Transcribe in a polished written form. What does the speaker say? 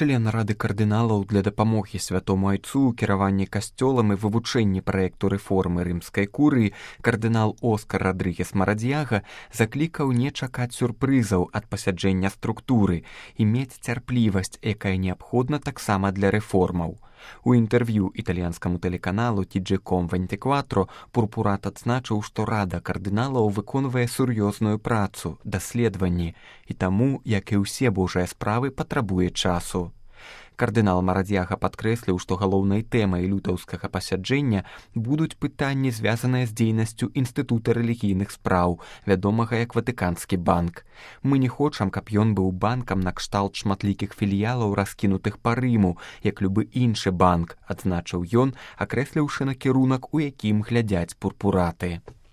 Член Рады кардыналаў для дапамогі святому айцу ў кіраванні касцёлам і вывучэнні праекту рэформы рымскай курыі кардынал Оскар Родригес Марадзьяга заклікаў не чакаць сюрпрызаў ад пасяджэння структуры і мець цярплівасць, якая неабходна таксама для рэформаў. У інтэрв'ю італьянскаму тэлеканалу TG.com/24 Пурпурат адзначыў, што Рада кардыналаў выконвае сур'ёзную працу, даследаванні, і таму, як і ўсе божыя справы, патрабуе часу. Кардынал Марадзьяга падкрэсліў, што галоўнай тэмай лютаўскага пасяджэння будуць пытанні, звязаныя з дзейнасцю інстытута рэлігійных спраў, вядомага як Ватыканскі банк. Мы не хочам, каб ён быў банкам накшталт шматлікіх філіялаў, раскінутых па Рыму, як любы іншы банк, адзначыў ён, акрэсліўшы накірунак, у якім глядзяць пурпураты.